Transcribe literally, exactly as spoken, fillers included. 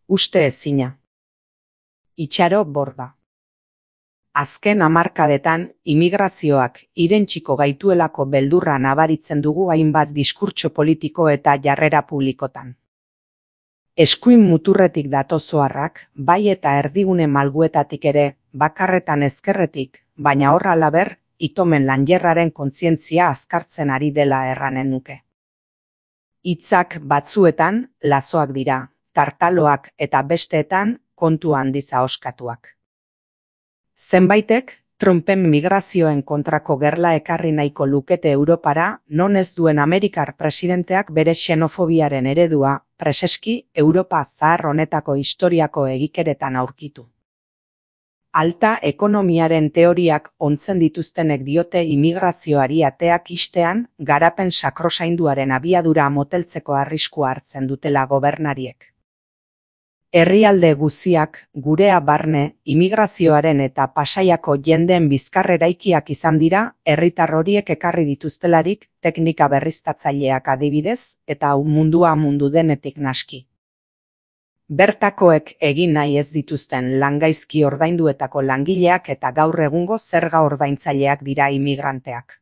Uste ezina. Itxaro Borda. Azken hamarkadetan, imigrazioak irentsiko gaituelako beldurra nabaritzen dugu hainbat diskurtso politiko eta jarrera publikotan. Eskuin muturretik datozoarrak, bai eta erdigune malguetatik ere, bakarretan ezkerretik, baina horra laber, itomen lanjerraren kontzientzia azkartzen ari dela erranen nuke. Hitzak batzuetan, lazoak dira, tartaloak eta besteetan, kontu handiz ahoskatuak. Zenbaitek, Trumpen migrazioen kontrako gerla ekarri nahiko lukete Europara, non ez duen Amerikar presidenteak bere xenofobiaren eredua, preseski Europa zahar honetako historiako egikeretan aurkitu. Alta ekonomiaren teoriak ontzen dituztenek diote imigrazioari ateak ixtean, garapen sakrosainduaren abiadura moteltzeko arriskua hartzen dutela gobernariek. Herrialde guziak, gurea barne, imigrazioaren eta Pasaiako jendeen bizkarreraikiak izan dira, herritar horiek ekarri dituztelarik, teknika berriztatzaileak adibidez, eta mundua mundu denetik naski. Bertakoek egin nahi ez dituzten langaizki ordainduetako langileak eta gaur egungo zerga ordaintzaileak dira imigranteak.